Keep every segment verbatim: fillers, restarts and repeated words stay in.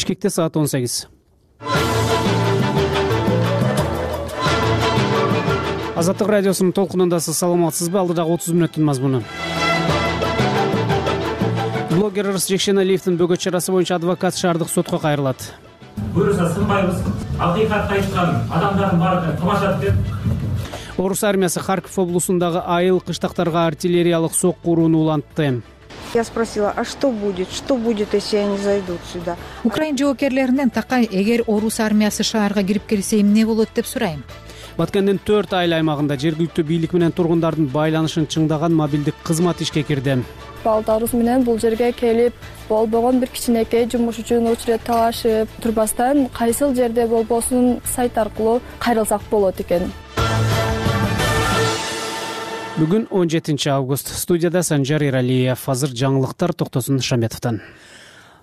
Бишкекте саат он сегиз. Азаттык радиосунун толкунундасыз. Саламатсызбы? Алдыдагы отуз мүнөттүн мазмуну. Блогер Ырыс Жекшеналиевдин бөгөт чарасы боюнча адвокат шаардык сотко кайрылат. Буюрса сынбайбыз. Акыйкатты айткан адамдардын баарын тамашалап деп. Орус армиясы Харьков облусундагы айыл кыштактарга артиллериялык сокку урууну улантты. Я спросила, а что будет? Что будет, если они зайдут сюда? Украин жоокерлеринен такай, эгер орус армиясы шаарга кирип келсе эмне болот деп сурайм. Баткендин төрт айыл аймагында жергиликтүү бийлик менен тургундардын байланышын чыңдаган мобилдик кызмат ишке кирди. Балдарыбыз менен бул жерге келип, болбогон бир кичинекей жумуш үчүн учурет талашып турбастан, кайсыл жерде болбосун сайт аркылуу кайрылсак болот экен. Бүгүн он жетинчи август. Студияда Санжар Иралиев. Азыр жаңылыктар Токтосун Шаметовдон.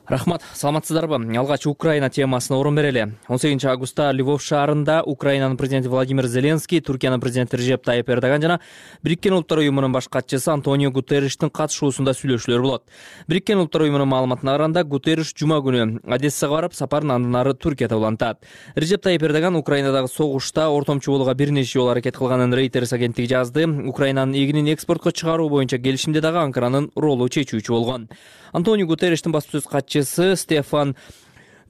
Рахмат, саламатсыздарбы? Алгач Украина темасына орун берели. он сегизинчи августта Львов шаарында Украинанын президенти Владимир Зеленский, Туркиянын президенти Режеп Тайип Эрдоган жана Бириккен Улуттар уюмунун баш катчысы Антонио Гутерриштин катышуусунда сүйлөшүүлөр болот. Бириккен Улуттар уюмунун маалыматына караганда, Гутерриш жума күнү Одессага барып, сапарын андан ары Түркияда улантат. Режеп Тайип Эрдоган Украинадагы согушта ортомчу болууга бир нече жолу аракет кылганын Reuters агенттиги жазды. Украинанын эгинин экспортко чыгаруу боюнча келишимде дагы Анкаранын ролу чечүүчү болгон. Антонио Гутерриштин баспасөз катчысы Стефан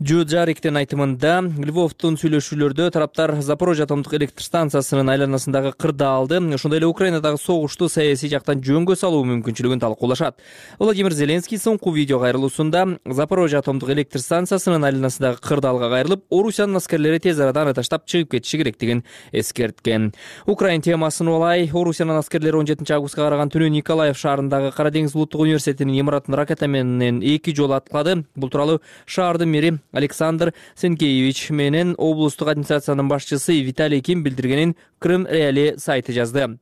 Джуджариктин айтымында, Львовдун сүйлөшүүлөрдө тараптар Запорожье атомдук электр станциясынын айланасындагы кырдаалды, ошондой эле Украинадагы согушту саясий жактан жөнгө салуу мүмкүнчүлүгүн талкуулашат. Владимир Зеленский соңку видео кайрылуусунда Запорожье атомдук электр станциясынын айланасындагы кырдаалга кайрылып, Орусиянын аскерлери тез арада аны таштап чыгып кетиши керектигин эскерткен. Украин темасын олай, Орусиянын аскерлери он жетинчи августка караган түнү Николаев шаарындагы Кара деңиз улуттук университетинин имаратын ракета менен эки жолу аткылады. Бул тууралуу шаардын мэри Александр Сенкеевич менен облустук администрациянын башчысы Виталий Ким билдиргенин Крым Реали сайты жазды.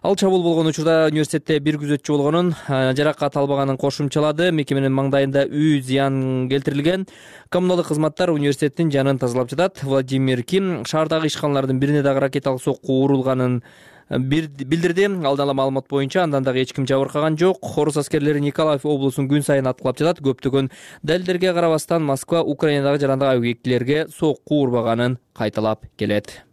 Ал чабуул болгон учурда университетте бир күзөтчү болгонун, жаракат албаганын кошумчалады. Мекеменин маңдайында үй зыян келтирилген. Коммуналдык кызматтар университеттин жанын тазалап жатат. Владимир Ким шаардагы ишканалардын бирине дагы ракеталык сокку урулганын билдирди. Алдын ала маалымат боюнча андан дагы эч ким жабыркаган жок. Орус аскерлери Николаев облусун күн сайын аткылап жатат. Көптөгөн далилдерге карабастан Москва Украинадагы жарандык объектилерге сокку урбаганын кайталап келет.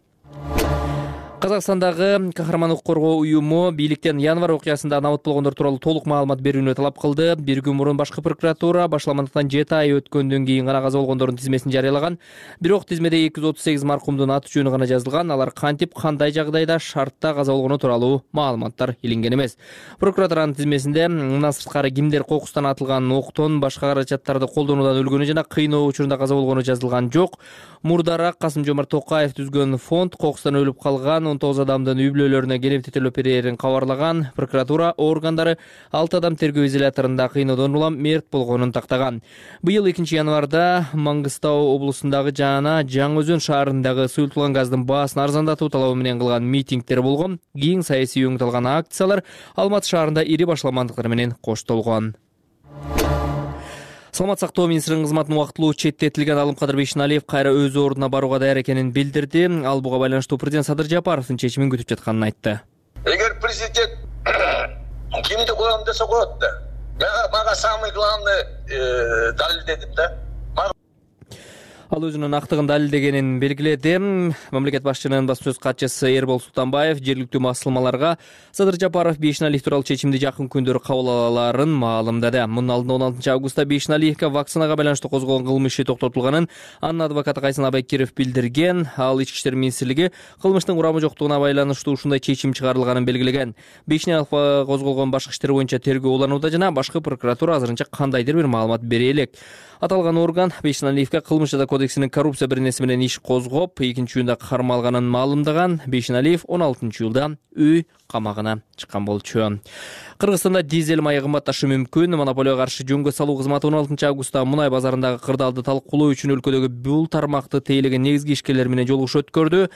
Казакстандагы Кахарман укук коргоо уюму бийликтен январь окуясында набат болгондор тууралуу толук маалымат берүүнү талап кылды. Бир күн мурун башкы прокуратура башламандыктан жети ай өткөндөн кийин гана каза болгондордун тизмесин жарыялаган. Бирок тизмеде эки жүз отуз сегиз маркумдун аты жөнү гана жазылган. Алар кантип, кандай жагдайда, шартта каза болгону тууралуу маалыматтар илинген эмес. Прокуратуранын тизмесинде мындан сырткары кимдер кокустан атылган октон башка каражаттарды колдонуудан өлгөнү жана кыйноо учурунда каза болгону жазылган жок. Мурдараак Касым-Жомарт Токаев түзгөн фонд кокустан өлүп калган он тогуз адамдын үй бүлөлөрүнө келип тетелеп берерин кабарлаган. Прокуратура органдары алты адам тергөө изоляторунда кыйноодон улам мерт болгонун тактаган. Быйыл экинчи январда Маңгыстау облусундагы жана Жаңы Өзөн шаарындагы сұйылтылган газдын баасын арзандатуу талабы менен кылган митингдер болгон. Кийин саясий өңүталган акциялар Алматы шаарында ири башламандыктар менен коштолгон. Саламат сактоо министринин кызматын убактылуу четтетилген Алымкадыр Бейшеналиев кайра өз ордуна барууга даяр экенин билдирди. Ал буга байланыштуу президент Садыр Жапаровдун чечимин күтүп жатканын айтты. Эгер президент кимди коем десе коет да. Мага самый главный далил дедим да. Ал өзүнүн актыгын далилдегенин белгиледи. Мамлекет башчынын баспасөз катчысы Эрбол Султанбаев жергиликтүү басылмаларга Садыр Жапаров Бейшеналиев тууралуу чечимди жакын күндөрү кабыл алаарын маалымдады. Мунун алдында он алтынчы августта Бейшеналиевге вакцинага байланыштуу козголгон кылмыш иши токтотулганын анын адвокаты Кайсын Абайкиров билдирген. Ал Ички иштер министрлиги кылмыштын курамы жоктугуна байланыштуу ушундай чечим чыгарылганын белгилеген. Бейшеналиевге козголгон башкы иштер боюнча тергөө уланууда жана башкы прокуратура азырынча кандайдыр бир маалымат бере элек. Аталган орган Бейшеналиевге кылмыш жаза кодексинин коррупция бирнеси менен иш козгоп, экинчи июнда кармалганын маалымдаган. Бейшеналиев он алтынчы июлда үй камагына чыккан болчу. Кыргызстанда дизель майы кымбатташы мүмкүн. Монополияга каршы жөнгө салуу кызматы он алтынчы августта мунай базарындагы кырдаалды талкуулоо үчүн өлкөдөгү бул тармакты тейлеген негизги ишкерлер менен жолугуш өткөрдү.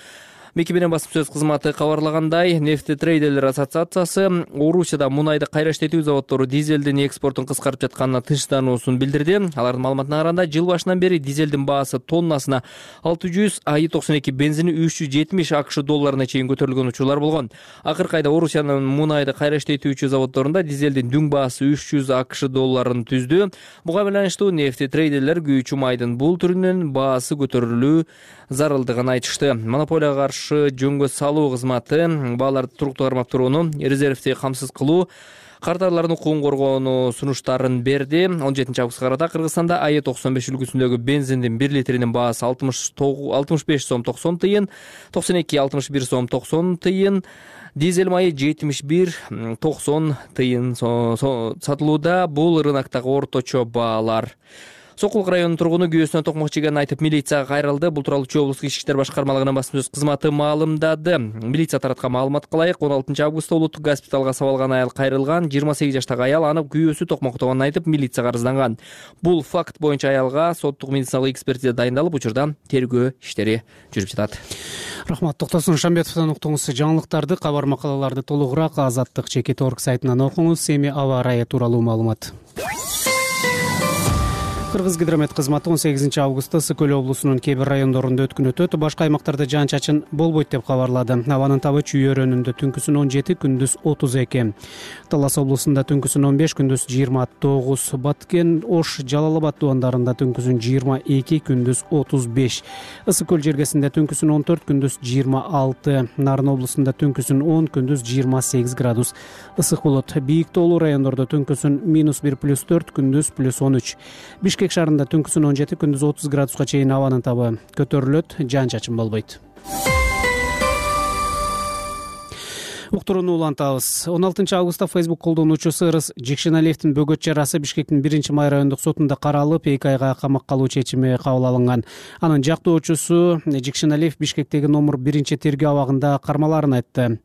мекеменин басым сөз кызматы кабарлагандай, нефтетрейдерлер ассоциациясы Орусияда мунайды кайра иштетүү заводдору дизелдин экспортун кыскартып жатканына тынчтануусун билдирди. Алардын маалыматына караганда, жыл башынан бери дизелдин баасы тоннасына алты жүз, АИ токсон эки бензини үч жүз жетимиш АКШ долларына чейин көтөрүлгөн учурлар болгон. Акыркы айда Орусиянын мунайды кайра иштетүүчү заводдорунда дизелдин дүң баасы үч жүз АКШ долларын түздү. Буга байланыштуу нефтетрейдерлер күйүүчү майдын бул түрүнүн баасы көтөрүлүү зарылдыгын айтышты. Монополияга каршы жөнгө салуу кызматы бааларды туруктуу кармап турууну, резервти камсыз кылуу, кардарлардын укугун коргоону сунуштарын берди. он жетинчи августка карата Кыргызстанда АИ токсон беш үлгүсүндөгү бензиндин бир литринин баасы алтымыш беш сом токсон тыйын, токсон эки алтымыш бир сом токсон тыйын, дизель майы жетимиш бир токсон тыйын сатылууда. Бул рыноктогу орточо баалар. Сокулук районунун тургуну күйөөсүнө токмок жегенин айтып милицияга кайрылды. Бул тууралуу Чүй облустук ички иштер башкармалыгынын басым сөз кызматы маалымдады. Милиция тараткан маалыматка ылайык, он алтынчы августта улуттук госпиталга сабалган аял кайрылган. жыйырма сегиз жаштагы аял аны күйөөсү токмоктогонун айтып милицияга арызданган. Бул факт боюнча аялга соттук медициналык экспертиза дайындалып, учурда тергөө иштери жүрүп жатат. Рахмат. Токтосун Шамбетовдон уктуңуз. Жаңылыктарды, кабар макалаларды толугураак Азаттык чекит орг сайтынан окуңуз. Эми аба ырайы тууралуу маалымат. Кыргызгидромет кызматы он сегизинчи августта Ысык Көл облусунун кээ бир райондорунда өткөн өтөт, башка аймактарда жаан-чачын болбойт деп кабарлады. Абанын табы Чүй өрөөнүндө түнкүсүн он жети, күндүз отуз эки. Талас облусунда түнкүсүн он беш, күндүз жыйырма тогуз. Баткен, Ош, Жалал Абад дубандарында түнкүсүн жыйырма эки, күндүз отуз беш. Ысык Көл жергесинде түнкүсүн он төрт, күндүз жыйырма алты. Нарын облусунда түнкүсүн он, күндүз жыйырма сегиз градус ысык болот. Бийик тоолуу райондордо түнкүсүн минус бир, плюс төрт, күндүз плюс он үч. Бишкек шаарында түнкүсүн он жети, күндүз отуз градуска чейин абанын табы көтөрүлөт, жаан-чачын болбойт. Уктурууну улантабыз. он алтынчы августта Facebook колдонуучусу Ырыс Жекшеналиевдин бөгөт чарасы Бишкектин биринчи май райондук сотунда каралып, эки айга камакка алуу чечими кабыл алынган. Анын жактоочусу Жекшеналиев Бишкектеги номер биринчи тергөө абагында кармаларын айтты.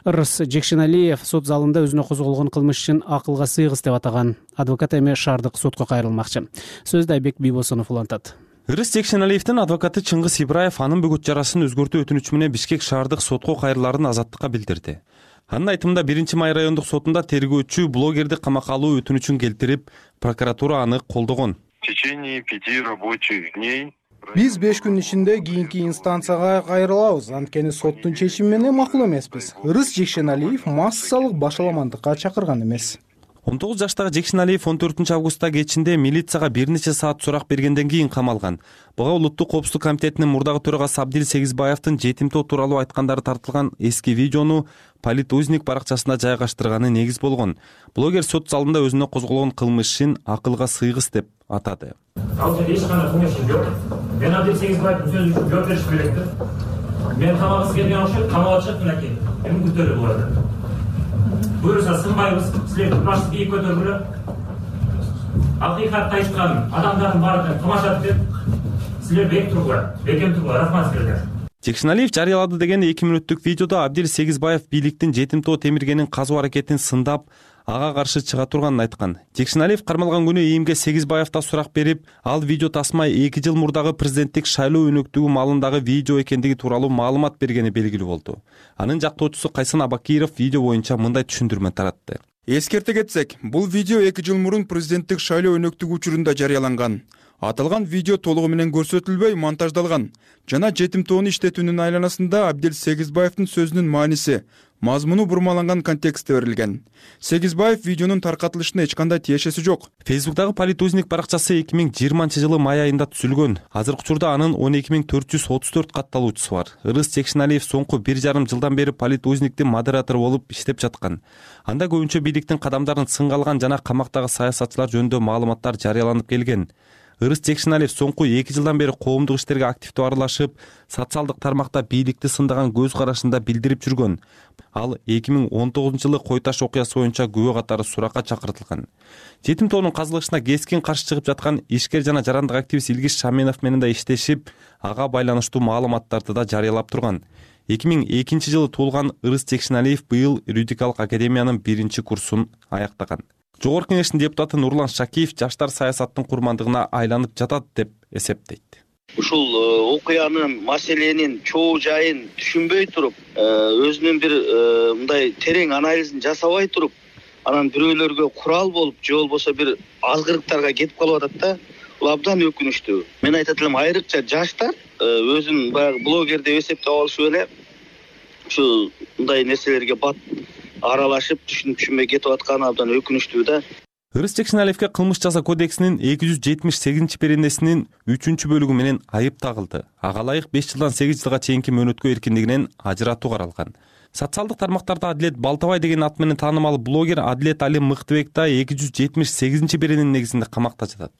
Ырыс Жекшеналиев сот залында өзүнө козголгон кылмыш ишин акылга сыйгыс деп атаган. Адвокат эми шаардык сотко кайрылмакчы. Сөздү Айбек Бийбосунов улантат. Ырыс Жекшеналиевдин адвокаты Чыңгыз Ибраев анын бөгөт чарасын өзгөртүү өтүнүчү менен Бишкек шаардык сотко кайрыларын Азаттыкка билдирди. Анын айтымында биринчи май райондук сотунда тергөөчү блогерди камакка алуу өтүнүчүн келтирип, прокуратура аны колдогон. В течение пяти рабочих дней биз беш күн ичинде кийинки инстанцияга кайрылабыз, анткени соттун чечими менен макул эмеспиз. Ырыс Жекшеналиев массалык башаламандыкка чакырган эмес. он тогуз жаштагы Жекшеналиев он төртүнчү августта кечинде милицияга бир нече саат сурак бергенден кийин камалган. Буга улуттук коопсуздук комитетинин мурдагы төрагасы Абдил Сегизбаевдин жетимтоо тууралуу айткандары тартылган эски видеону Политузник баракчасына жайгаштырганы негиз болгон. Блогер сот залында өзүнө козголгон кылмыш ишин акылга сыйгыс деп атады. Ал жерде эч кандай кылмыш иш жок. Мен Абдил Сегизбаевдин сөзү үчүн жооп бериш керекти. Мен камагыбыз келген окшойт, камалып чыгып мынакей. Эми күтөлүп буларды. Буюрса сынбайбыз, силер баш бийик көтөргүлө. Акыйкатты айткан адамдардын баарын тамашалап деп, силер бек тургула, бекем тургула, рахмат силерге. Жекшеналиев жарыялады деген эки мүнөттүк видеодо Абдил Сегизбаев бийликтин жетимтоо темиргенин казуу аракетин сындап, ага каршы чыга турганын айткан. Жекшеналиев кармалган күнү ИИМге Сегизбаев да сурак берип, ал видео тасма эки жыл мурдагы президенттик шайлоо өнөктүгү маалындагы видео экендиги тууралуу маалымат бергени белгилүү болду. Анын жактоочусу Кайсын Абакиров видео боюнча мындай түшүндүрмө таратты. Эскерте кетсек, бул видео эки жыл мурун президенттик шайлоо өнөктүгү учурунда жарыяланган. Аталган видео толугу менен көрсөтүлбөй монтаждалган жана жетимтоону иштетүүнүн айланасында Абдил Сегизбаевдин сөзүнүн мааниси, мазмуну бурмаланган контекстте берилген. Сегизбаев видеонун таркатылышына эч кандай тиешеси жок. Фейсбуктагы Политузник баракчасы эки миң жыйырманчы жылы май айында түзүлгөн. Азыркы учурда анын он эки миң төрт жүз отуз төрт катталуучусу бар. Ырыс Жекшеналиев соңку бир жарым жылдан бери Политузниктин модератору болуп иштеп жаткан. Анда көбүнчө бийликтин кадамдарын сынга алган жана камактагы саясатчылар жөнүндө маалыматтар жарыяланып келген. Ырыс Жекшеналиев соңку эки жылдан бери коомдук иштерге активдүү аралашып, социалдык тармакта бийликти сындаган көз карашында билдирип жүргөн. Ал эки миң он тогузунчу жылы Кой Таш окуясы боюнча күбө катары суракка чакыртылган. Жетимтоонун казылышына кескин каршы чыгып жаткан ишкер жана жарандык активист Илгиз Шаменов менен да иштешип, ага байланыштуу маалыматтарды да жарыялап турган. эки миң экинчи жылы туулган Ырыс Жекшеналиев быйыл юридикалык академиянын биринчи курсун аяктаган. Жогорку Кеңештин депутаты Нурлан Шакиев жаштар саясаттын курмандыгына айланып жатат деп эсептейт. ушул окуянын маселенин чоо жайын түшүнбөй туруп, өзүнүн бир мындай терең анализин жасабай туруп, анан бирөөлөргө курал болуп же болбосо бир азгырыктарга кетип калып атат да. Бул абдан өкүнүчтүү. Мен айтат элем, айрыкча жаштар өзүн баягы блогер деп эсептеп алышып эле ушу мындай нерселерге бат аралашып, түшүнүп түшүнбөй кетип атканы абдан өкүнүчтүү да. Ырыс Жекшеналиевке кылмыш жасоо кодексинин эки жүз жетимиш сегизинчи беренесинин үчүнчү бөлүгү менен айып тагылды. Ага ылайык беш жылдан сегиз жылга чейинки мөөнөткө эркиндигинен ажыратуу каралган. Социалдык тармактарда Адилет Балтабай деген ат менен таанымал блогер Адилет Али Мыктыбек да эки жүз жетимиш сегизинчи берененин негизинде камакта жатат.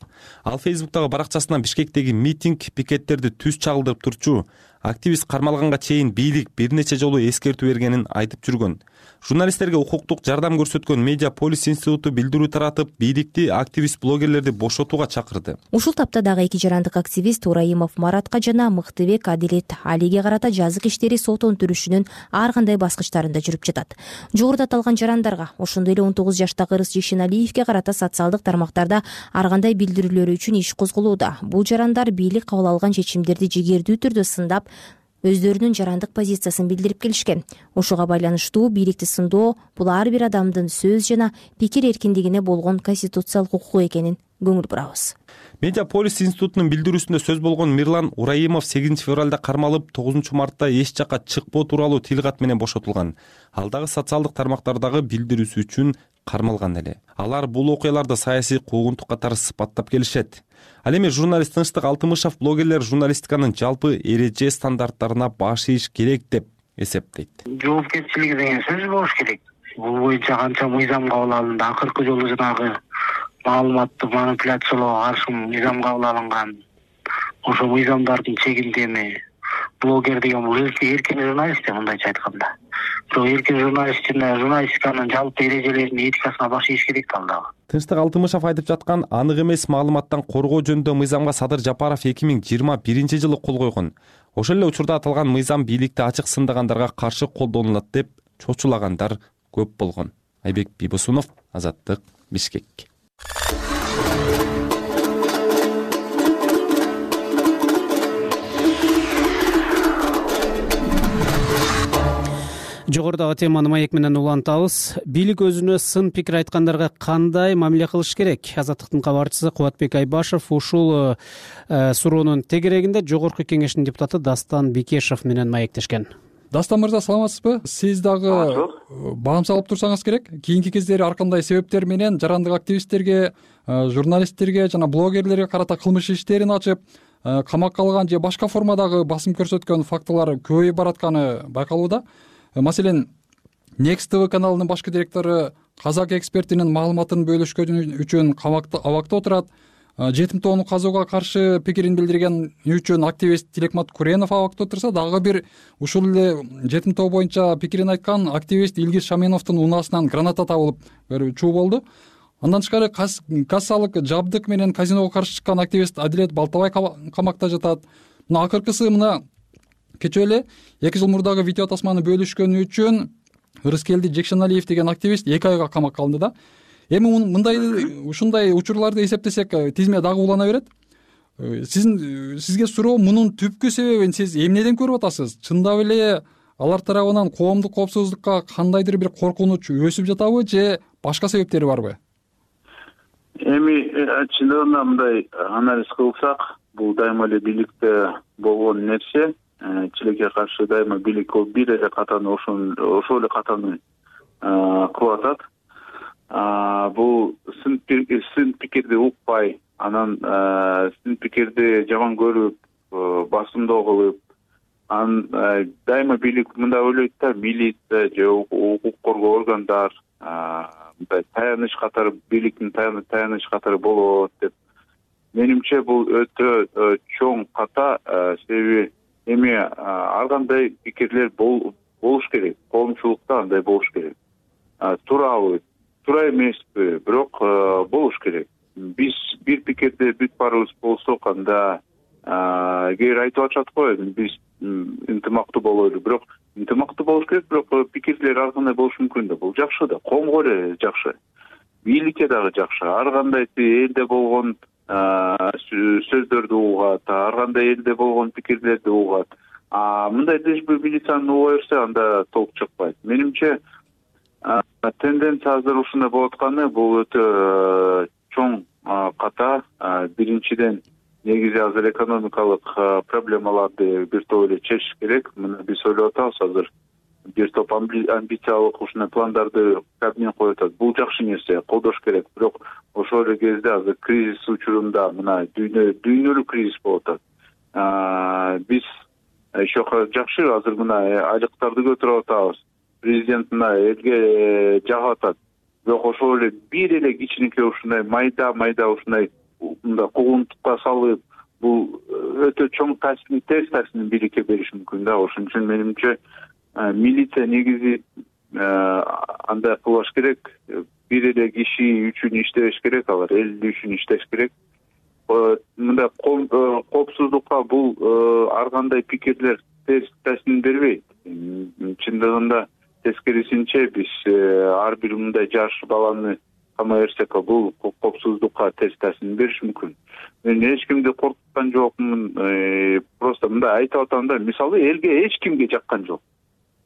Ал Фейсбуктагы баракчасынан Бишкектеги митинг, пикеттерди түз чагылдырып турчу активист кармалганга чейин бийлик бир нече жолу эскертүү бергенин айтып жүргөн. Журналисттерге укуктук жардам көрсөткөн Медиа Полис институту билдирүү таратып, бийликти активист блогерлерди бошотууга чакырды. Ушул тапта дагы эки жарандык активист Ураимов Маратка жана Мыктыбек Адилет Алиге карата жазык иштери сот өнтүрүшүнүн ар кандай баскычтарында жүрүп жатат. Жогоруда аталган жарандарга, ошондой эле он тогуз жаштагы Ырыс Жекшеналиевге карата социалдык тармактарда ар кандай билдирүүлөрү үчүн иш козголууда. Бул жарандар бийлик кабыл алган чечимдерди жигердүү түрдө сындап, өздөрүнүн жарандык позициясын билдирип келишкен. Ошого байланыштуу бийликти сындоо бул ар бир адамдын сөз жана пикир эркиндигине болгон конституциялык укугу экенин көңүл бурабыз. Медиа Полис институтунун билдирүүсүндө сөз болгон Мирлан Ураимов сегизинчи февралда кармалып, тогузунчу мартта эч жакка чыкпоо тууралуу тил кат менен бошотулган. Ал дагы социалдык тармактардагы билдирүүсү үчүн кармалган эле. Алар бул окуяларды саясий куугунтук катары сыпаттап келишет. Ал эми журналист Тынчтык Алтымышев блогерлер журналистиканын жалпы эреже стандарттарына баш ийиш керек деп эсептейт. Жоопкерчилиги деген сөз болуш керек. Бул боюнча канча мыйзам кабыл алынды. Акыркы жолу жанагы маалыматты манипуляциялоого каршы мыйзам кабыл алынган. Ошо мыйзамдардын чегинде эми блогер деген бул эркин журналист мындайча айтканда. Бирок эркин журналист жана журналистиканын жалпы эрежелеринин этикасына баш ийиш керек да ал дагы. Тынчтык Алтымышев айтып жаткан анык эмес маалыматтан коргоо жөнүндө мыйзамга Садыр Жапаров эки миң жыйырма биринчи жылы кол койгон. Ошол эле учурда аталган мыйзам бийликти ачык сындагандарга каршы колдонулат деп чочулагандар көп болгон. Айбек Бибосунов, Азаттык, Бишкек. Жогорудагы теманы маек менен улантабыз. Бийлик өзүнө сын пикир айткандарга кандай мамиле кылыш керек? Азаттыктын кабарчысы Кубатбек Айбашев ушул э, суроонун тегерегинде Жогорку кеңештин депутаты Дастан Бекешев менен маектешкен. Дастан мырза, саламатсызбы? Сиз дагы баам салып турсаңыз керек. Кийинки кездери ар кандай себептер менен жарандык активисттерге, журналисттерге жана блогерлерге карата кылмыш иштерин ачып, камакка алган же башка формадагы басым көрсөткөн фактылар көбөйүп баратканы байкалууда. Маселен, Next ти ви каналынын башкы директору казак экспертинин маалыматын бөлүшкөнү үчүн камакта абакта отурат. Жетим тоону казууга каршы пикирин билдирген үчүн активист Тилекмат Куренов абакта отурса, дагы бир ушул эле жетим тоо боюнча пикирин айткан активист Илгиз Шаменовдун унаасынан граната табылып чуу болду. Андан тышкары кассалык жабдык менен казиного каршы чыккан активист Адилет Балтабай камакта жатат. Мына акыркысы мына кечээ эле эки жыл мурдагы видео тасманы бөлүшкөнү үчүн Ырыскелди Жекшеналиев деген активист эки айга камакка алынды да. Эми мындай ушундай учурларды эсептесек, тизме дагы улана берет. Сиздин сизге суроо, мунун түпкү себебин сиз эмнеден көрүп атасыз? Чындап эле алар тарабынан коомдук коопсуздукка кандайдыр бир коркунуч өсүп жатабы же башка себептери барбы? Эми чындыгында мындай анализ кылсак, бул дайыма эле бийликте болгон нерсе. Чилекке каршы дайыма бийлик бир эле катаны ошол эле катаны кылып атат. Бул сын пикирди укпай, анан сын пикирди жаман көрүп, басымдоо кылып, анан дайыма бийлик мындай ойлойт да, милиция же укук коргоо органдар мындай таяныч катары, бийликтин таяныч катары болот деп. Менимче бул өтө чоң ката, себеби эми ар кандай пикирлер болуш керек, коомчулукта андай болуш керек. Туурабы, туура эмеспи, бирок болуш керек. Биз бир пикирде бүт баарыбыз болсок, анда кээ айтып атышат го, биз ынтымактуу бололу, бирок ынтымактуу болуш керек, бирок пикирлер ар кандай болушу мүмкүн да. Бул жакшы да, коомго эле жакшы, бийликке дагы жакшы. Ар кандай элде болгон сөздөрдү угат, ар кандай элде болгон пикирлерди угат. А мындай лишь бы милицияны уга берсе, анда толк чыкпайт. Менимче тенденция азыр ушундай болуп атканы, бул өтө чоң ката. Биринчиден негизи азыр экономикалык проблемаларды бир топ эле чечиш керек. Мына биз ойлоп атабыз азыр бир топ амбициялык ушундай пландарды Кабмин коюп атат. Бул жакшы нерсе, колдош керек. Бирок ошол эле кезде азыр кризис учурунда мына дүйнө дүйнөлүк кризис болуп атат. Биз еще жакшы азыр мына айлыктарды көтөрүп атабыз. Президент мына элге жагып атат. Бирок ошол эле бир эле кичинекей ушундай майда майда ушундай мындай куугунтукка салып, бул өтө чоң таасирин, терс таасирин бийликке бериши мүмкүн да. Ошон үчүн менимче милиция негизи андай кылбаш керек. Бир эле киши үчүн иштебеш керек, алар эл үчүн иштеш керек. Мындай коопсуздукка бул ар кандай пикирлер терс таасирин бербейт. Чындыгында тескерисинче биз ар бир мындай жаш баланы камай берсек, бул коопсуздукка терс таасирин бериши мүмкүн. Мен эч кимди коркуткан жокмун. Просто мындай айтып атам да, мисалы элге эч кимге жаккан жок.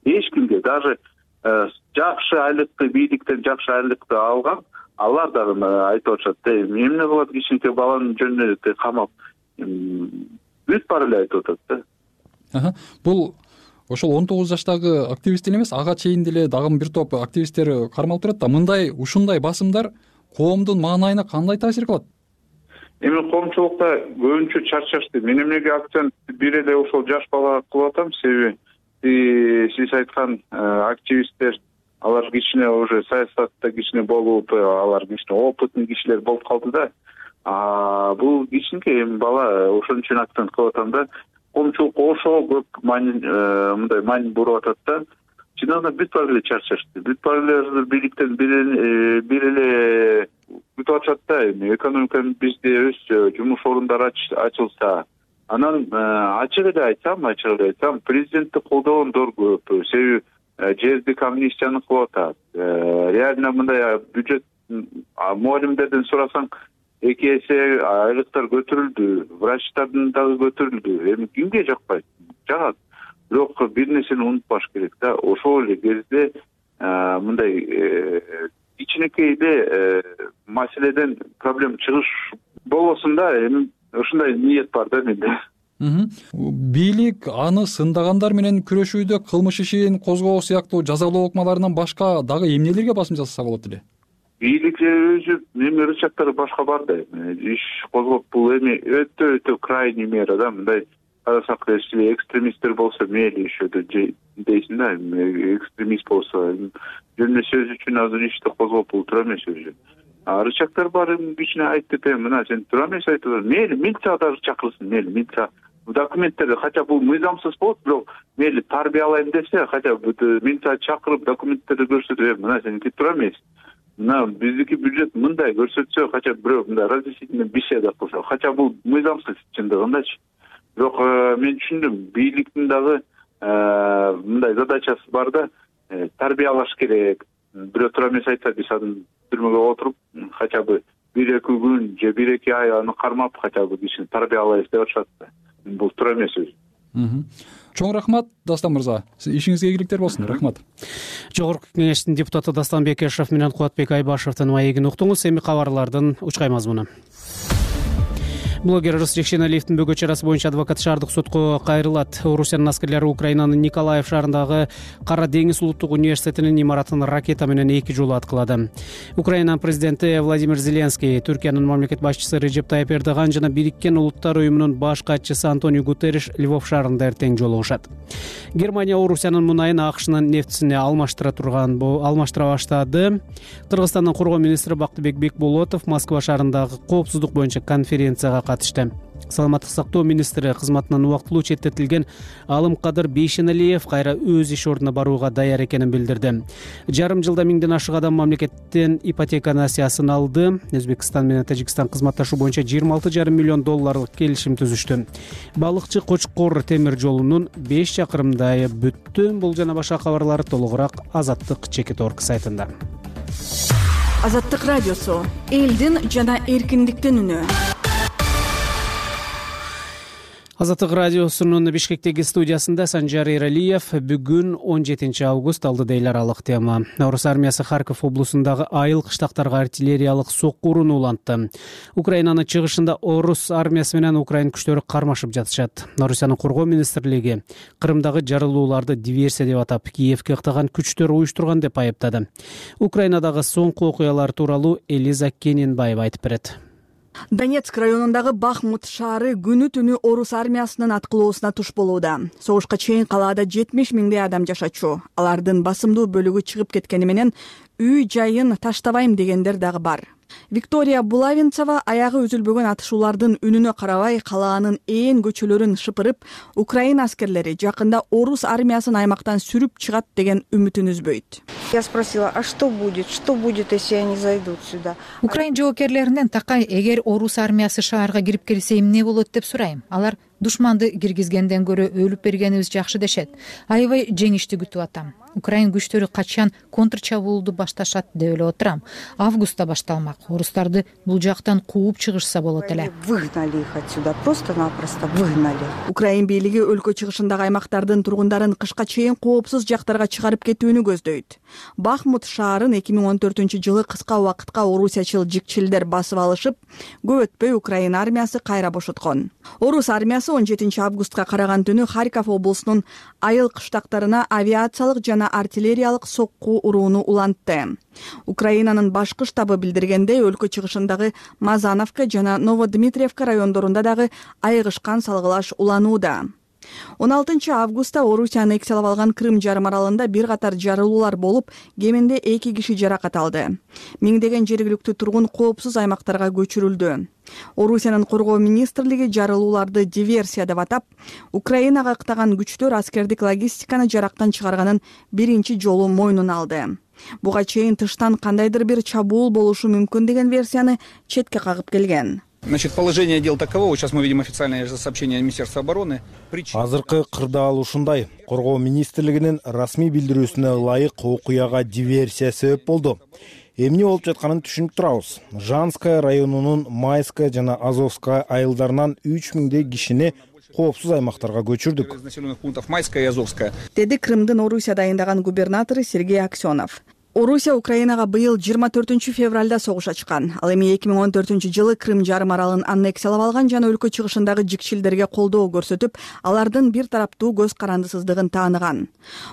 Эч кимге, даже жакшы айлыкты бийликтен жакшы айлыкты алган, алар дагы айтып атышат, эмне кылат кичинекей баланын жөнүнө камап, бүт баары эле айтып атат да. Бул ошол он тогуз жаштагы активист эле эмес, ага чейин деле дагы бир топ активисттер кармалып турат да. Мындай ушундай басымдар коомдун маанайына кандай таасир кылат? Эми коомчулукта көбүнчө чарчашты. Мен эмнеге акцент бир эле ошол жаш балага кылып атам, себеби сиз айткан активисттер, алар кичине уже саясатта кичине болуп, алар кичине опытный кишилер болуп калды да. А бул кичинекей эми бала, ошон үчүн акцент кылып атам да. Коомчулукка ошого көп маани, мындай маани буруп атат да. Чындыгында бүт баары эле чарчашты. Бүт баары эле бийликтен бир эле бүтүп атышат да. Экономиканы бизде өссө, жумуш орундары ачылса, анан ачык эле айтсам, ачык эле айтсам, президентти колдогондор көп. Себеби жердик амнистияны кылып атат. Реально мындай бюджет мугалимдерден сурасаң, эки эсе айлыктар көтөрүлдү, врачтардын дагы көтөрүлдү. Эми кимге жакпайт? Жагат. Бирок бир нерсени унутпаш керек да. Ошол эле кезде мындай кичинекей эле маселеден проблема чыгыш болбосун да. Эми ушундай ниет бар да менде. Бийлик аны сындагандар менен күрөшүүдө кылмыш ишин козгоо сыяктуу жазалоо ыкмаларынан башка дагы эмнелерге басым жасаса болот эле? Бийлик өзү эми рычагдары башка бар да. Иш козгоп, бул эми өтө өтө крайний мера да. Мындай карасак, экстремисттер болсо мейли ишөдө дейсиң да. Экстремист болсо жөн сөз үчүн азыр ишти козгоп бул туура эмес өзү. А рычагдар бар, кичине айтып, мына сен туура эмес айтып, мейли милиция дагы чакырсын, мейли милиция документтерди, хотя бул мыйзамсыз болот, бирок мейли тарбиялайм десе, хотя милиция чакырып документтерди көрсөтүп, мына сеники туура эмес. Мына биздики бюджет мындай көрсөтсө, хотя бирөө мындай разъяснительный беседа кылса, хотя бул мыйзамсыз чындыгындачы. Бирок мен түшүндүм, бийликтин дагы мындай задачасы бар да, тарбиялаш керек. Бирөө туура эмес айтса, биз анын түрмөгө отуруп, хотя бы бир эки күн же бир эки ай аны кармап, хотя бы кишини тарбиялайбыз деп атышат да. Бул туура эмес өзү. Чоң рахмат, Дастан мырза. Ишиңизге ийгиликтер болсун. Рахмат. Жогорку кеңештин депутаты Дастан Бекешев менен Кубатбек Айбашевдин маегин уктуңуз. Эми кабарлардын учкай мазмуну. Блогер Рус Жекшеналиевдин бөгө чарасы боюнча адвокат шаардык сотко кайрылат. Орусиянын аскерлери Украинанын Николаев шаарындагы Кара деңиз улуттук университетинин имаратын ракета менен эки жолу аткылады. Украинанын президенти Владимир Зеленский, Түркиянын мамлекет башчысы Режеп Тайып Эрдоган жана Бириккен Улуттар уюмунун баш катчысы Антонио Гутерриш Львов шаарында эртең жолугушат. Германия Орусиянын мунайын АКШнын нефтисине алмаштыра турган алмаштыра баштады. Кыргызстандын коргоо министри Бактыбек Бекболотов Москва шаарындагы коопсуздук боюнча конференцияга катышты. Саламаттык сактоо министри кызматынан убактылуу четтетилген Алымкадыр Бейшеналиев кайра өз иш ордуна барууга даяр экенин билдирди. Жарым жылда миңден ашык адам мамлекеттен ипотека насыясын алды. Өзбекстан менен Тажикстан кызматташуу боюнча жыйырма алты жарым миллион долларлык келишим түзүштү. Балыкчы Кочкор темир жолунун беш чакырымдайы бүттү. Бул жана башка кабарлар толугураак Азаттык чекит орг сайтында. Азаттык радиосу элдин жана эркиндиктин үнү. Азаттык радиосунун Бишкектеги студиясында Санжар Эралиев. Бүгүн он жетинчи август алдыда эл аралык тема. Орус армиясы Харьков облусундагы айыл кыштактарга артиллериялык соккууруну улантты. Украинанын чыгышында орус армиясы менен украин күчтөрү кармашып жатышат. Орусиянын коргоо министрлиги Кырымдагы жарылууларды диверсия деп атап, Киевке ыктаган күчтөр уюштурган деп айыптады. Украинадагы соңку окуялар тууралуу Элиза Кененбаева айтып берет. Донецк районундагы Бахмут шаары күнү түнү орус армиясынын аткылоосуна туш болууда. Согушка чейин калаада жетимиш миңдей адам жашачу. Алардын басымдуу бөлүгү чыгып кеткени менен үй жайын таштабайм дегендер дагы бар. Виктория Булавинцева аягы үзүлбөгөн атышуулардын үнүнө карабай калаанын ээн көчөлөрүн шыпырып, Украина аскерлери жакында орус армиясын аймактан сүрүп чыгат деген үмүтүн үзбөйт. Я спросила, а что будет? Что будет, если они зайдут сюда? Украин жоокерлеринен такай, эгер орус армиясы шаарга кирип келсе эмне болот деп сурайм. Алар душманды киргизгенден көрө өлүп бергенибиз жакшы дешет. Аябай жеңишти күтүп атам. Украин күчтөрү качан контрчабуулду башташат деп эле отурам. Августта башталмак. Орустарды бул жактан кууп чыгышса болот эле. Выгнали их отсюда, просто-напросто выгнали. Украин бийлиги өлкө чыгышындагы аймактардын тургундарын кышка чейин коопсуз жактарга чыгарып кетүүнү көздөйт. Бахмут шаарын эки миң он төртүнчү жылы кыска убакытка орусиячыл жикчилдер басып алышып, көп өтпөй Украин армиясы кайра бошоткон. Орус армиясы он жетинчи августка караган түнү Харьков облусунун айыл кыштактарына авиациялык жана артиллериялык сокку урууну улантты. Украинанын башкы штабы билдиргендей, өлкө чыгышындагы Мазановка жана Новодмитриевка райондорунда дагы айыгышкан салгылаш уланууда. он алтынчы августта Орусияны экселеп алган Крым жарым аралында бир катар жарылуулар болуп, кеминде эки киши жаракат алды. Миңдеген жергиликтүү тургун коопсуз аймактарга көчүрүлдү. Орусиянын коргоо министрлиги жарылууларды диверсия деп атап, Украинага ыктаган күчтөр аскердик логистиканы жарактан чыгарганын биринчи жолу мойнуна алды. Буга чейин тыштан кандайдыр бир чабуул болушу мүмкүн деген версияны четке кагып келген. Значит, положение дел таково. Сейчас мы видим официальное сообщение Министерства обороны. Азыркы кырдаал ушундай. Коргоо министрлигинин расмий билдирүүсүнө ылайык окуяга диверсия себеп болду. Эмне болуп жатканын түшүнүп турабыз. Жанская районунун Майская жана Азовская айылдарынан үч миңдей кишини коопсуз аймактарга көчүрдүк. Населенных пунктов Майская и Азовская. Деди Крымдын Орусия дайындаган губернатору Сергей Аксенов. Орусия Украинага быйыл жыйырма төртүнчү февралда согуш ачкан. Ал эми эки миң он төртүнчү жылы Крым жарым аралын аннексиялап алган жана өлкө чыгышындагы жикчилдерге колдоо көрсөтүп, алардын бир тараптуу көз карандысыздыгын тааныган.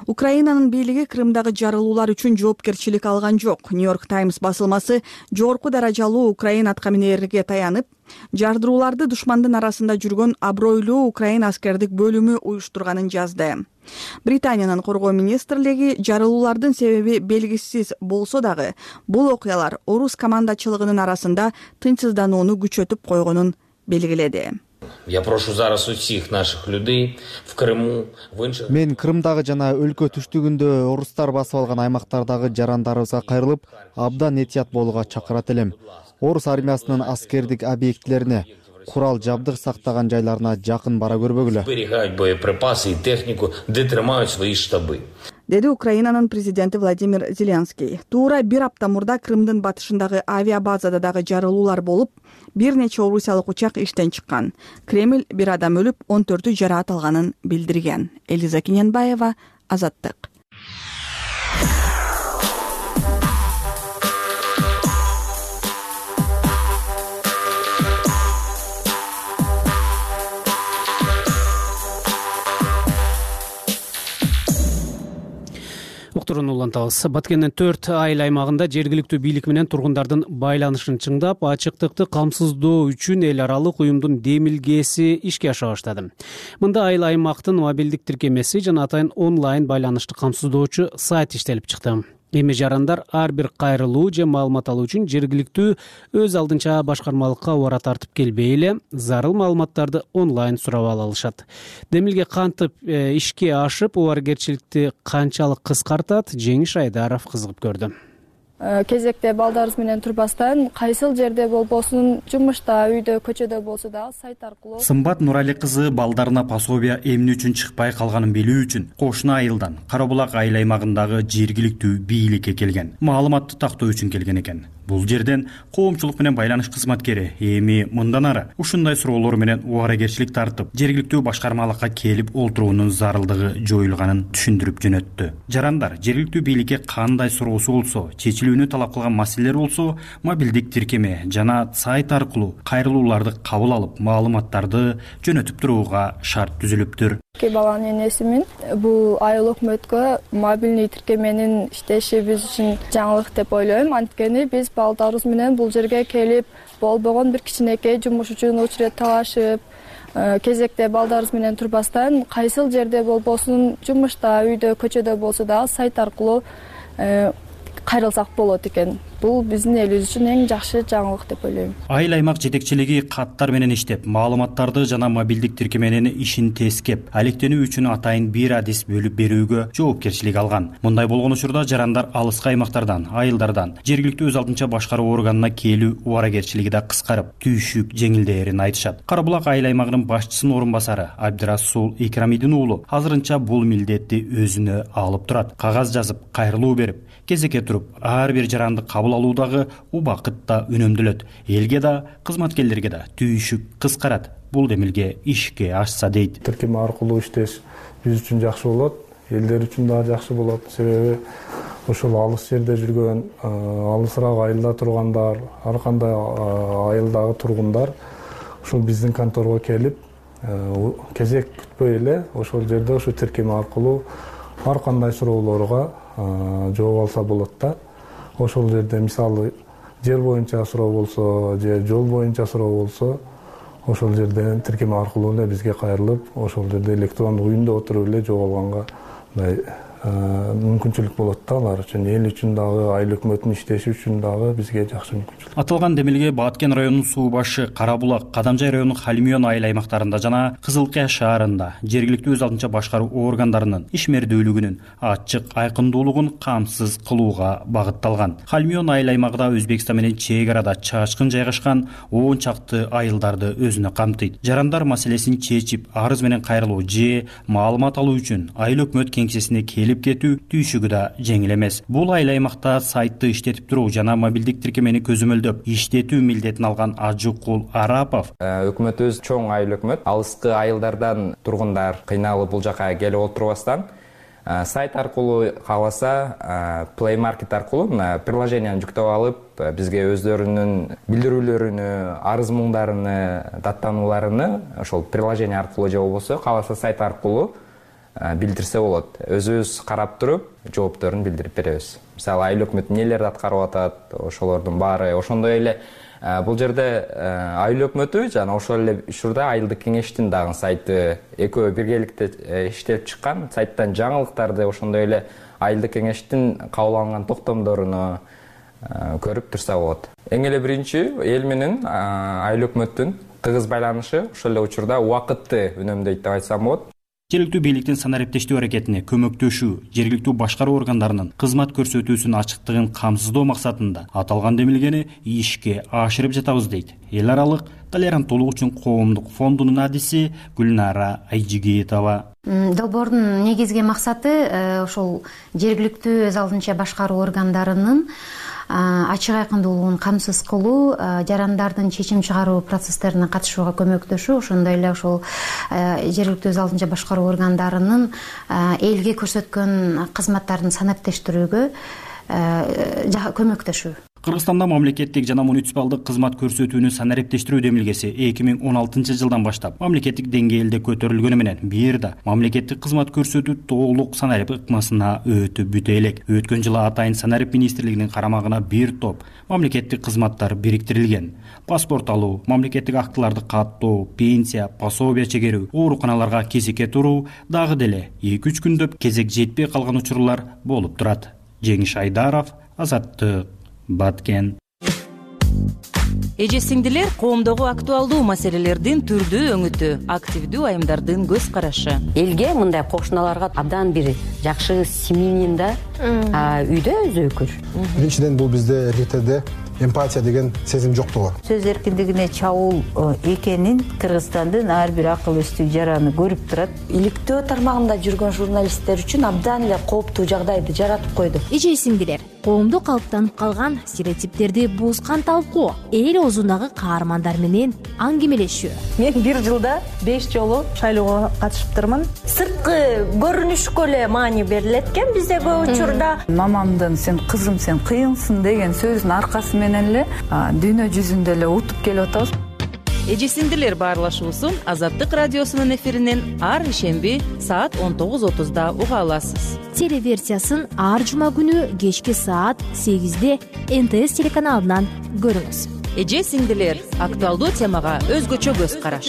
Украинанын бийлиги Крымдагы жарылуулар үчүн жоопкерчилик алган жок. Нью-Йорк Таймс басылмасы жогорку даражалуу Украин аткаминерлерге таянып, жардырууларды душмандын арасында жүргөн абройлуу Украин аскердик бөлүмү уюштурганын жазды. Британиянын коргоо министрлиги жарылуулардын себеби белгисиз болсо дагы, бул окуялар орус командачылыгынын арасында тынчсызданууну күчөтүп койгонун белгиледи. Я прошу зараз усих наших людей в Крыму, в інших... Мен Крымдагы жана өлкө түштүгүндө орустар басып алган аймактардагы жарандарыбызга кайрылып, абдан этият болууга чакырат элем. Орус армиясынын аскердик объектилерине, курал жабдык сактаган жайларына жакын бара көрбөгүлө. Зберегать боеприпасы и технику, где трымают свои штабы. Деди Украинанын президенти Владимир Зеленский. Туура бир апта мурда Крымдын батышындагы авиабазада дагы жарылуулар болуп, бир нече орусиялык учак иштен чыккан. Кремль бир адам өлүп, он төртү жараат алганын билдирген. Элиза Кененбаева, Азаттык. Уктуруну улантабыз. Баткендин төрт айыл аймагында жергиликтүү бийлик менен тургундардын байланышын чыңдап, ачыктыкты камсыздоо үчүн эл аралык уюмдун демилгеси ишке аша баштады. Мында айыл аймактын мобилдик тиркемеси жана атайын онлайн байланышты камсыздоочу сайт иштелип чыкты. Эми жарандар ар бир кайрылуу же маалымат алуу үчүн жергиликтүү өз алдынча башкармалыкка убара тартып келбей эле зарыл маалыматтарды онлайн сурап ала алышат. Демилге кантип ишке ашып, убаргерчиликти канчалык кыскартат, Жеңиш Айдаров кызыгып көрдү. Кезекте балдарыбыз менен турбастан, кайсыл жерде болбосун, жумушта, үйдө, көчөдө болсо да сайт аркылуу. Сымбат Нурали кызы балдарына пособия эмне үчүн чыкпай калганын билүү үчүн кошуна айылдан Кара Булак айыл аймагындагы жергиликтүү бийликке келген. Маалыматты тактоо үчүн келген экен. бул жерден коомчулук менен байланыш кызматкери эми мындан ары ушундай суроолор менен убаракерчилик тартып жергиликтүү башкармалыкка келип олтуруунун зарылдыгы жоюлганын түшүндүрүп жөнөттү. Жарандар жергиликтүү бийликке кандай суроосу болсо, чечилүүнү талап кылган маселелер болсо, мобилдик тиркеме жана сайт аркылуу кайрылууларды кабыл алып, маалыматтарды жөнөтүп турууга шарт түзүлүптүр. Эки баланын энесимин. Бул айыл өкмөткө мобилдик тиркеменин иштеши биз үчүн жаңылык деп ойлойм. Анткени биз балдарыбыз менен бул жерге келип, болбогон бир кичинекей жумуш үчүн очередь талашып, кезекте балдарыбыз менен турбастан, кайсыл жерде болбосун, жумушта, үйдө, көчөдө болсо дагы сайт аркылуу кайрылсак болот экен. Бул биздин элибиз үчүн эң жакшы жаңылык деп ойлойм. Айыл аймак жетекчилиги каттар менен иштеп, маалыматтарды жана мобилдик тиркеменин ишин тескеп, алектенүү үчүн атайын бир адис бөлүп берүүгө жоопкерчилик алган. Мындай болгон учурда жарандар алыскы аймактардан, айылдардан жергиликтүү өз алдынча башкаруу органына келүү убаракерчилиги да кыскарып, түйшүк жеңилдээрин айтышат. Кара Булак айыл аймагынын башчысынын орун басары Абдирасул Икрамидин уулу азырынча бул милдетти өзүнө алып турат. Кагаз жазып, кайрылуу берип, кезекке туруп, ар бир жаранды кабыл алуудагы убакыт да үнөмдөлөт. Элге да, кызматкерлерге да түйшүк кыскарат. Бул демилге ишке ашса дейт. Тиркеме аркылуу иштеш биз үчүн жакшы болот, элдер үчүн дагы жакшы болот. Себеби ошол алыс жерде жүргөн, алысыраак айылда тургандар, ар кандай айылдагы тургундар ушул биздин конторго келип, кезек күтпөй эле ошол жерде ошо тиркеме аркылуу ар кандай суроолорго жооп алса болот да. Ошол жерде мисалы жер боюнча суроо болсо, же жол боюнча суроо болсо, ошол жерден тиркеме аркылуу эле бизге кайрылып, ошол жерде электрондук үйүндө отуруп эле жооп алганга мындай мүмкүнчүлүк болот да алар үчүн, эл үчүн дагы, айыл өкмөтүнүн иштеши үчүн дагы бизге жакшы мүмкүнчүлүк. Аталган демилге Баткен районунун суу башы, Кара Булак, Кадамжай районунун Халимион айыл аймактарында жана Кызылкая шаарында жергиликтүү өз алдынча башкаруу органдарынын ишмердүүлүгүнүн ачык айкындуулугун камсыз кылууга багытталган. Халимион айыл аймагы да Өзбекстан менен чек арада чачкын жайгашкан он чакты айылдарды өзүнө камтыйт. Жарандар маселесин чечип, арыз менен кайрылуу же маалымат алуу үчүн айыл өкмөт кеңсесине келип кетүү түйшүгү да жеңил эмес. Бул айыл аймакта сайтты иштетип туруу жана мобилдик тиркемени көзөмөлдөп иштетүү милдетин алган Ажукул Арапов. Өкмөтүбүз чоң айыл өкмөт. Алыскы айылдардан тургундар кыйналып бул жака келип отурбастан сайт аркылуу кааласа Play Market аркылуу приложенияны жүктөп алып, бизге өздөрүнүн билдирүүлөрүнү, арыз муңдарыны, даттанууларыны ошол приложение аркылуу же болбосо кааласа сайт аркылуу билдирсе болот. Өзүбүз карап туруп, жоопторун билдирип беребиз. Мисалы, айыл өкмөт нелерди аткарып атат, ошолордун баары. Ошондой эле бул жерде айыл өкмөтү жана ошол эле учурда айылдык кеңештин дагы сайты экөө биргеликте иштелип чыккан. Сайттан жаңылыктарды, ошондой эле айылдык кеңештин кабыл алган токтомдоруну көрүп турса болот. Эң эле биринчи эл менен айыл өкмөттүн тыгыз байланышы ошол эле учурда убакытты үнөмдөйт деп айтсам болот. Жергиликтүү бийликтин санариптештүү аракетине көмөктөшүү, жергиликтүү башкаруу органдарынын кызмат көрсөтүүсүнүн ачыктыгын камсыздоо максатында аталган демилгени ишке ашырып жатабыз дейт эл аралык толеранттуулук үчүн коомдук фондунун адиси Гүлнара Айжигитова. Долбоордун негизги максаты ошол жергиликтүү өз алдынча башкаруу органдарынын ачык айкындуулугун камсыз кылуу, жарандардын чечим чыгаруу процесстерине катышууга көмөктөшүү, ошондой эле ошол жергиликтүү өз алдынча башкаруу органдарынын элге көрсөткөн кызматтарын санариптештирүүгө көмөктөшүү. Кыргызстанда мамлекеттик жана муниципалдык кызмат көрсөтүүнү санариптештирүү демилгеси эки миң он алтынчы жылдан баштап мамлекеттик деңгээлде көтөрүлгөнү менен бир да мамлекеттик кызмат көрсөтүү толук санарип ыкмасына өтүп бүтө элек. Өткөн жылы атайын санарип министрлигинин карамагына бир топ мамлекеттик кызматтар бириктирилген. Паспорт алуу, мамлекеттик актыларды каттоо, пенсия, пособия чегерүү, ооруканаларга кезекке туруу дагы деле эки үч күндөп кезек жетпей калган учурлар болуп турат. Жеңиш Айдаров, Азаттык, Баткен. Эже сиңдилер, коомдогу актуалдуу маселелердин түрдүү өңүтү, активдүү айымдардын көз карашы. Элге мындай кошуналарга абдан бир жакшы семьянин да үйдө өзөкүр. Биринчиден бул бизде эркектерде эмпатия деген сезим жоктугу. Сөз эркиндигине чабуул экенин Кыргызстандын ар бир акыл эстүү жараны көрүп турат. Иликтөө тармагында жүргөн журналисттер үчүн абдан эле кооптуу жагдайды жаратып койду. Эже сиңдилер, коомдо калыптанып калган стереотиптерди бузган талкуу, эл оозундагы каармандар менен аңгемелешүү. Мен бир жылда беш жолу шайлоого катышыптырмын. Сырткы көрүнүшкө эле маани берилет экен бизде көп учурда. Мамамдын "сен кызым, сен кыйынсың" деген сөзүнүн аркасы менен эле дүйнө жүзүндө эле утуп келип атабыз. Эже сиңдилер баарлашуусун Азаттык радиосунун эфиринен ар ишемби саат он тогуз отузда уга аласыз. Телеверсиясын ар жума күнү кечки саат сегизде эн тэ эс телеканалынан көрүңүз. Эже сиңдилер актуалдуу темага өзгөчө көз караш.